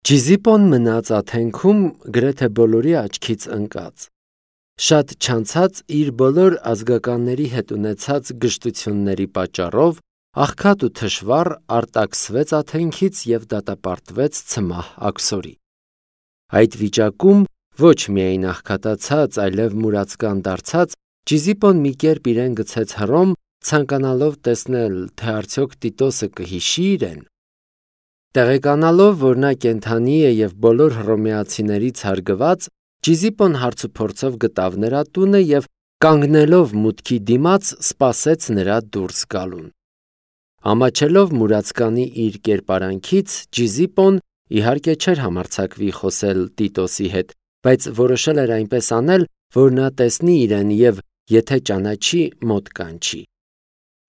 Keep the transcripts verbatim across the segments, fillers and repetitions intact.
Ճիզիպոն մնաց Աթենքում գրեթե բոլորի աչքից ընկած։ Շատ չանցած իր բոլոր ազգականների հետ ունեցած գժտությունների պատճառով աղքատ ու թշվառ արտաքսվեց Աթենքից և դատապարտվեց Ցմահ Աքսորի։ Այդ վիճակում ոչ միայն աղքատացած, այլև մուրացկան դարձած, Ճիզիպոն մի կերպ իրեն գցեց Հռոմ, ցանկանալով տեսնել, թե արդյոք Տիտոսը կհիշի իրեն։ Տեղեկանալով, որ նա կենդանի է և բոլոր հռոմեացիներից հարգված, Ճիզիպոն հարցուփորձով գտավ նրա տունը և կանգնելով մուտքի դիմաց սպասեց նրա դուրս գալուն։ Ամաչելով մուրացկանի իր կերպարանքից, Ճիզիպոն իհարկե չէր համարձակվի խոսել Տիտոսի հետ, բայց որոշել էր այնպես անել, որ նա տեսնի իրեն և եթե ճանաչի, մոտ կանչի։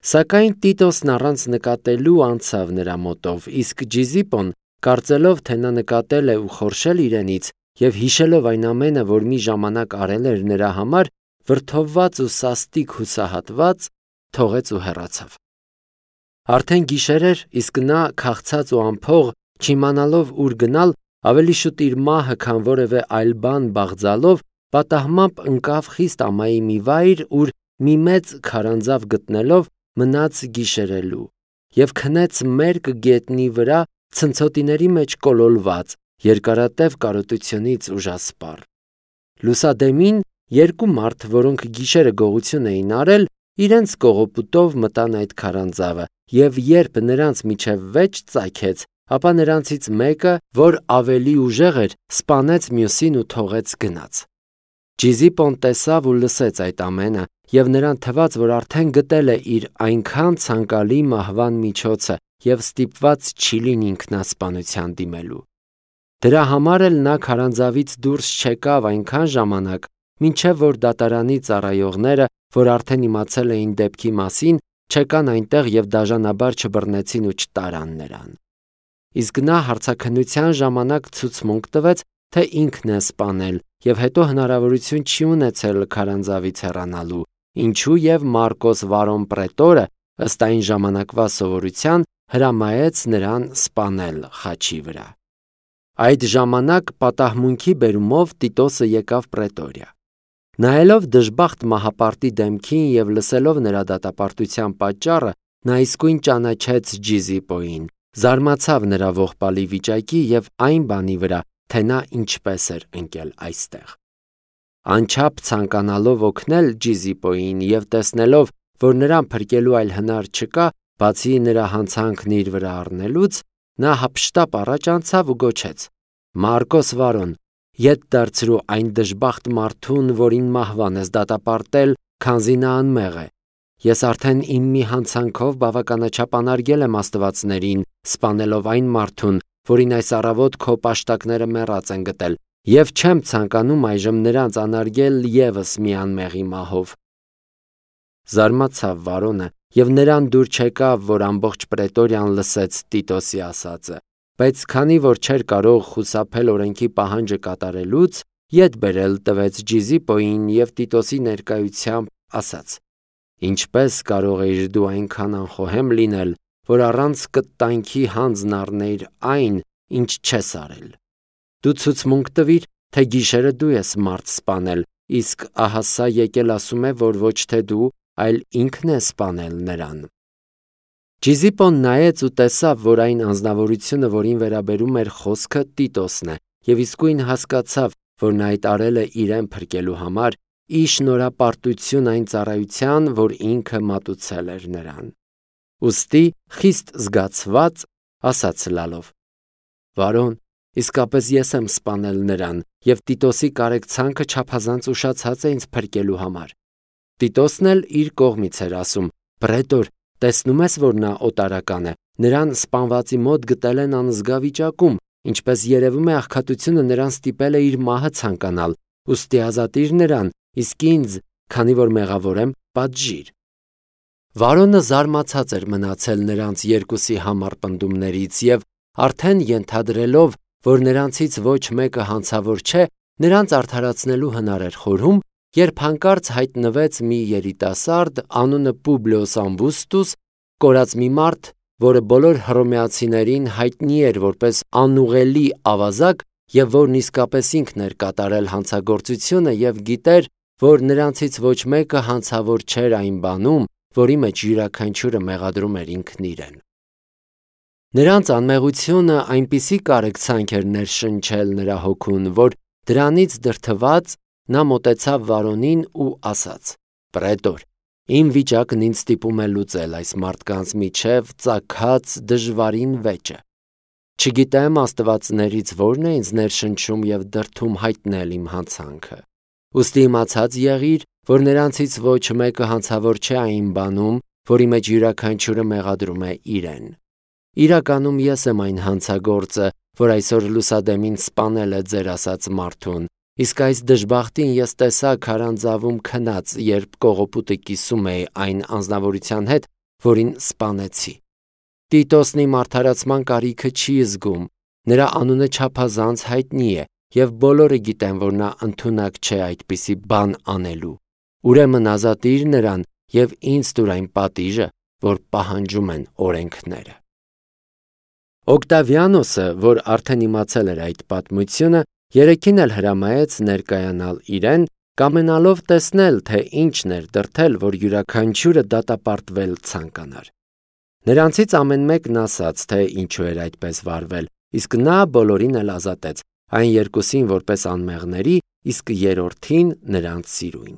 Սակայն Տիտոսն առանց նկատելու անցավ նրա մոտով, իսկ Ճիզիպոն, կարծելով, թե նա նկատել է ու խորշել իրենից և հիշելով այն ամենը, որ մի ժամանակ արել էր նրա համար, վրդովված ու սաստիկ հուսահատված, թողեց ու հեռացավ։ Արդեն գիշեր էր, իսկ նա, քաղցած ու անփող, չիմանալով ուր գնալ, ավելի շուտ իր մահը, քան որևէ այլ բան բաղձալով, պատահմամբ ընկավ խիստ ամայի մի վայր, ուր մի մեծ քարանձավ գտնելով մնաց գիշերելու և քնեց մերկ գետնի վրա ցնցոտիների մեջ կոլորված, երկարատև կարոտությունից ուժասպառ։ Լուսադեմին երկու մարդ, որոնք գիշերը գողություն էին արել, իրենց կողոպուտով մտան այդ քարանձավը, և երբ նրանց միջև վեճ ծագեց, ապա նրանցից մեկը, որ ավելի ուժեղ էր, սպանեց մյուսին ու թողեց գնաց։ Ճիզիպոն տեսավ ու լսեց այդ ամենը, և նրան թվաց, որ արդեն գտել է իր այնքան ցանկալի մահվան միջոցը և ստիպված չի լինի ինքնասպանության դիմելու։ Դրա համար էլ նա քարանձավից դուրս չեկավ այնքան ժամանակ, մինչև որ դատարանի ծառայողները, որ արդեն իմացել էին դեպքի մասին, չեկան այնտեղ և դաժանաբար չբռնեցին ու չտարան նրան։ Իսկ նա հարցաքննության ժամանակ ցուցմունք տվեց, թե ինքն է սպանել և հետո հնարավորություն չի ունեցել քարանձավից հեռանալու, ինչու և Մարկոս Վարոն պրետորը, ըստ այն ժամանակվա սովորության, հրամայեց նրան սպանել խաչի վրա։ Այդ ժամանակ պատահմունքի բերումով Տիտոսը եկավ պրետորիա։ Նայելով դժբախտ մահապարտի դեմքին և լսելով նրա դատապարտության պատճառը, նա իսկույն ճանաչեց Ճիզիպոյին, զարմացավ նրա ողբալի վիճակի և այն բանի վրա, թե նա ինչպես էր ընկել այստեղ։ Անչափ ցանկանալով օգնել Ճիզիպոյին և տեսնելով, որ նրան փրկելու այլ հնար չկա, բացի նրա հանցանքն իր վրա առնելուց, նա հափշտապ առաջ անցավ ու գոչեց. «Մարկոս Վարոն, ետ դարձրու այն դժբախտ մարդուն, որին մահվան ես դատապարտել, քանզի նա անմեղ է։ Ես արդեն իմ մի հանցանքով բավականաչափ անարգել եմ աստվածներին, սպանելով այն մարդուն, որին այս առավոտ քո պաշտակները մեռած են գտել, և չեմ ցանկանում այժմ նրանց անարգել ևս մի անմեղի մահով»։ Զարմացավ Վարոնը և նրան դուր չեկավ, որ ամբողջ պրետորիան լսեց Տիտոսի ասածը, բայց քանի որ չէր կարող խուսափել օրենքի պահանջը կատարելուց, ետ բերել տվեց Ճիզիպոյին և Տիտոսի ներկայությամբ ասաց. «Ինչպե՞ս կարող էիր դու այնքան անխոհեմ լինել, որ առանց կտանքի հանձն առնեիր այն, ինչ չես արել։ Դու ցուցմունք տվիր, թե գիշերը դու ես մարդ սպանել, իսկ ահա սա եկել ասում է, որ ոչ թե դու, այլ ինքն է սպանել նրան»։ Ճիզիպոն նայեց ու տեսավ, որ այն անձնավորությունը, որին վերաբերում էր խոսքը, Տիտոսն է, և իսկույն հասկացավ, որ նա այդ արել է իրեն փրկելու համար, ի շնորհապարտություն այն ծառայության, որ ինքը մատուցել էր նրան։ Ուստի խիստ զգացված ասաց լալով. «Վարոն, իսկապես ես եմ սպանել նրան, և Տիտոսի կարեկցանքը չափազանց ուշացած է ինձ փրկելու համար»։ Տիտոսն էլ իր կողմից էր ասում. «Պրետոր, տեսնում ես, որ նա օտարական է, նրան սպանվածի մոտ գտել են անզգա վիճակում, ինչպես երևում է աղքատությունը նրան ստիպել է իր մահը ցանկանալ, ուստի ազատիր նրան, իսկ ինձ, քանի որ մեղավոր եմ, պատժիր»։ Վարոնը զարմացած էր մնացել նրանց երկուսի համառ պնդումներից և արդեն ենթադրելով, որ նրանցից ոչ մեկը հանցավոր չէ, նրանց արդարացնելու հնար էր խորհում, երբ հանկարծ հայտնվեց մի երիտասարդ, անունը Պուբլիոս Ամբուստուս, կորած մի մարդ, որը բոլոր հռոմեացիներին հայտնի էր որպես անուղելի ավազակ և որն իսկապես ինքն էր կատարել հանցագործությունը և գիտեր, որ նրանցից ոչ մեկը հանցավոր չէր այն բանում, որի մեջ յուրաքանչյուրը մեղադրում էր ինքն իրեն։ Նրանց անմեղությունը այնպիսի կարեկցանք էր ներշնչել նրա հոգուն, որ դրանից դրդված նա մոտեցավ Վարոնին ու ասաց. «Պրետոր, իմ վիճակն ինձ ստիպում է լուծել այս մարդկանց միջև ծագած դժվարին վեճը։ Չգիտեմ աստվածներից որն է ինձ ներշնչում և դրդում հայտնել իմ հանցանքը։ Ուստի իմացած եղիր, որ նրանցից ոչ մեկը հանցավոր չէ այն բանում, որի մեջ յուրաքանչյուրը մեղադրում է իրեն։ Իրականում ես եմ այն հանցագործը, որ այսօր լուսադեմին սպանել է ձեր ասած մարդուն, իսկ այս դժբախտին ես տեսա քարանձավում քնած, երբ կողոպուտը կիսում էի այն անձնավորության հետ, որին սպանեցի։ Տիտոսն իմ արդարացման կարիքը չի զգում, նրա անունը չափազանց հայտնի է, և բոլորը գիտեն, որ նա ընդունակ չէ այդպիսի բան անելու։ Ուրեմն ազատիր նրան և ինձ տուր այն պատիժը, որ պահանջում են օրենքները»։ Օկտավիանոսը, որ արդեն իմացել էր այդ պատմությունը, երեքին էլ հրամայեց ներկայանալ իրեն, կամենալով տեսնել, թե ինչն էր դրդել, որ յուրաքանչյուրը դատապարտվել ցանկանար։ Նրանցից ամեն մեկն ասաց, թե ինչու էր այդպես վարվել, իսկ նա բոլորին էլ ազատեց, այն երկուսին որպես անմեղների, իսկ երրորդին նրանց սիրուն։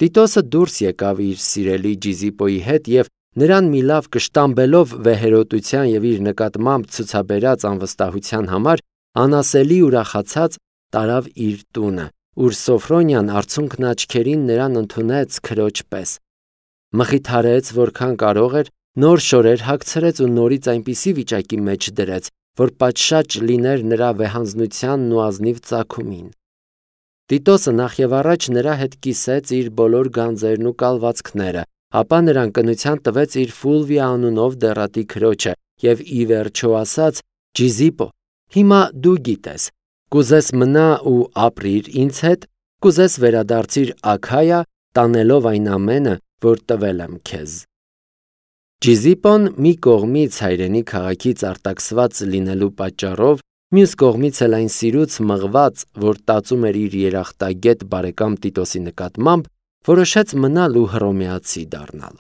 Տիտոսը դուրս եկավ իր սիրելի Ճիզիպոյի հետ և նրան մի լավ կշտամբելով վեհերոտության և իր նկատմամբ ցուցաբերած անվստահության համար անասելի ուրախացած տարավ իր տունը, ուր Սոֆրոնիան արցունքն աչքերին նրան ընդունեց քրոջ պես։ Մխիթարեց որքան կարող էր, նոր շորեր հագցրեց ու նորից այնպիսի վիճակի մեջ դրեց, որ պատշաճ լիներ նրա վեհանձնությանն ու ազնիվ ծագումին։ Տիտոսը նախևառաջ նրա հետ կիսեց իր բոլոր գանձերն ու կալվածքները, ապա նրան կնության տվեց իր Ֆուլվիա անունով դեռատի քրոջը և ի վերջո ասաց. «Ճիզիպո, հիմա դու գիտես, կուզես մնա ու ապրիր ինձ հետ, կուզես վերադարձիր Աքայա, տանելով այն ամենը, որ տվել եմ քեզ»։ Ճիզիպոն մի կողմից հայրենի քաղաքից արտաքսված լինելու պատճառով, մյուս կողմից էլ այն սիրուց մղված, որ տածում էր իր երախտագետ բարեկամ Տիտոսի նկատմամբ, որոշեց մնալ ու հռոմեացի դառնալ։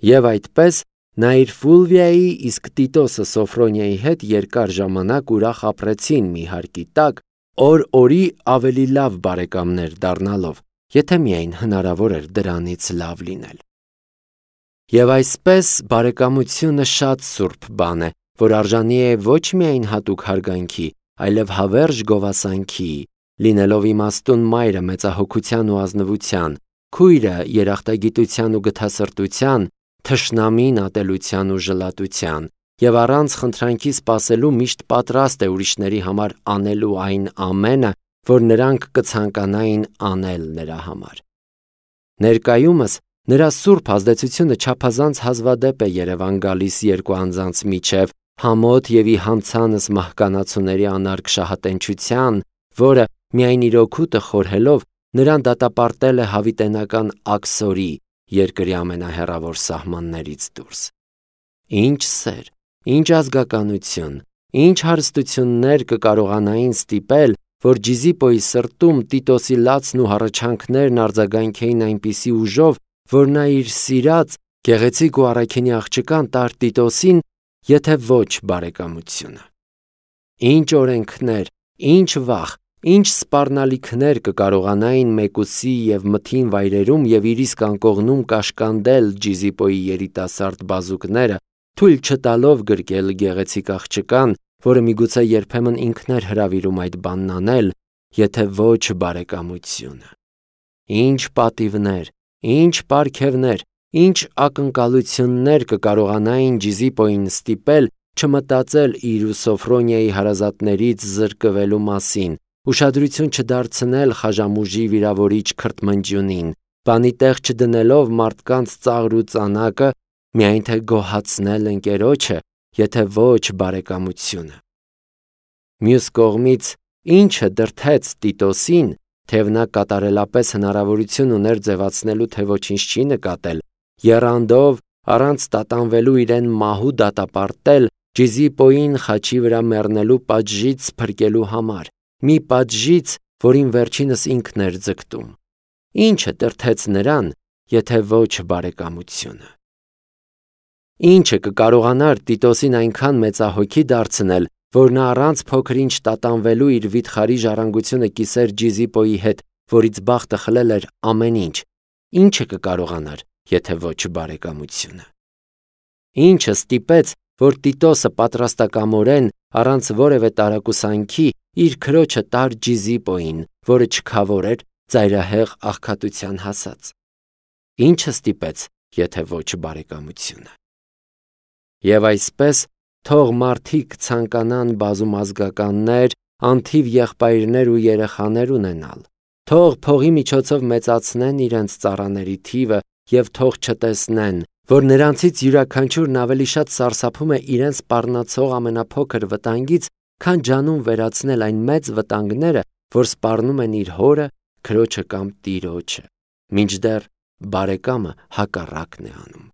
Եվ այդպես նա իր Ֆուլվիայի, իսկ Տիտոսը Սոֆրոնիայի հետ երկար ժամանակ ուրախ ապրեցին մի հարկի տակ, օր օրի ավելի լավ բարեկամներ դառնալով, եթե միայն հնարավոր էր դրանից լավ լինել։ Եվ այսպես բարեկամությունը շատ սուրբ բան է, որ արժանի է ոչ միայն հատուկ հարգանքի, այլև հավերժ գովասանքի, լինելով իմաստուն մայրը մեծահոգության ու ազնվության, քույրը երախտագիտության ու գթասրտության, թշնամին ատելության ու ժլատության, և առանց խնդրանքի սպասելու միշտ պատրաստ է ուրիշների համար անելու այն ամենը, որ նրանք կցանկանային անել նրա համար։ Ներկայումս նրա սուրբ ազդեցությունը չափազանց հազվադեպ է երևան գալիս երկու անձանց միջև, համոտ և ի հանցանս մահկանացուների անարգ շահատենչության, որը միայն իր օգուտը խորհելով նրան դատապարտել է հավիտենական աքսորի, երկրի ամենահեռավոր սահմաններից դուրս։ Ինչ սեր, ինչ ազգականություն, ինչ հարստություններ կկարողանային ստիպել, որ Ճիզիպոյի սրտում Տիտոսի լացն ու հառաչանքներն արձագանքեին այնպիսի ուժով, որ նա իր սիրած, գեղեցիկ ու առաքինի աղջկան տար Տիտոսին, եթե ոչ բարեկամությունը։ Ինչ օրենքներ, ինչ վախ, ինչ սպառնալիքներ կկարողանային մեկուսի և մթին վայրերում և իր իսկ անկողնում կաշկանդել Ճիզիպոյի երիտասարդ բազուկները, թույլ չտալով գրկել գեղեցիկ աղջկան, որը միգուցե երբեմն ինքն էր հրավիրում այդ բանն անել, եթե ոչ բարեկամությունը։ Ինչ պատիվներ, ինչ պարգևներ, ինչ ակնկալություններ կկարողանային Ճիզիպոյին ստիպել չմտածել իր ու Սոֆրոնիայի հարազատներից զրկվելու մասին, ուշադրություն չդարձնել խաժամուժի վիրավորիչ քրթմնջյունին, բանի տեղ չդնելով մարդկանց ծաղր ու ծանակը, միայն թե գոհացնել ընկերոջը, եթե ոչ բարեկամությունը։ Մյուս կողմից, ինչը դրդեց Տիտոսին, թեև նա կատարելապես հնարավորություն ուներ ձևացնելու, թե ոչինչ չի նկատել, եռանդով առանց տատանվելու իրեն մահու դատապարտել Ճիզիպոյին խաչի վրա մեռնելու պատժից փրկելու համար, մի պատժից, որին վերջինս ինքն էր ձգտում։ Ինչը տրթեց նրան, եթե ոչ բարեկամությունը։ Ինչը կկարողանար Տիտոսին այնքան մեծահոգի դարձնել, որ նա առանց փոքր-ինչ տատանվելու իր վիթխարի ժառանգությունը կիսեր Ճիզիպոյի հետ, որից բախտը խլել էր ամեն ինչ։ Ինչը կկարողանար, եթե ոչ բարեկամությունը։ Ինչը ստիպեց, որ Տիտոսը պատրաստակամորեն, առանց որևէ տարակուսանքի, իր քրոջը տար Ճիզիպոյին, որը չքավոր էր, ծայրահեղ աղքատության հասած։ Ինչը ստիպեց, եթե ոչ բարեկամությունը։ Եվ այսպես, թող մարդիկ ցանկանան բազումազգականներ, անթիվ եղբայրներ ու երեխաներ ունենալ, թող փողի միջոցով մեծացնեն իրենց ծառաների թիվը և թող չտեսնեն, որ նրանցից յուրաքանչյուրն ավելի շատ սարսափում է իրեն սպառնացող ամենափոքր վտանգից, քան ջանում վերացնել այն մեծ վտանգները, որ սպառնում են իր հորը, քրոջը կամ տիրոջը, մինչդեռ բարեկամը հակառակն է անում։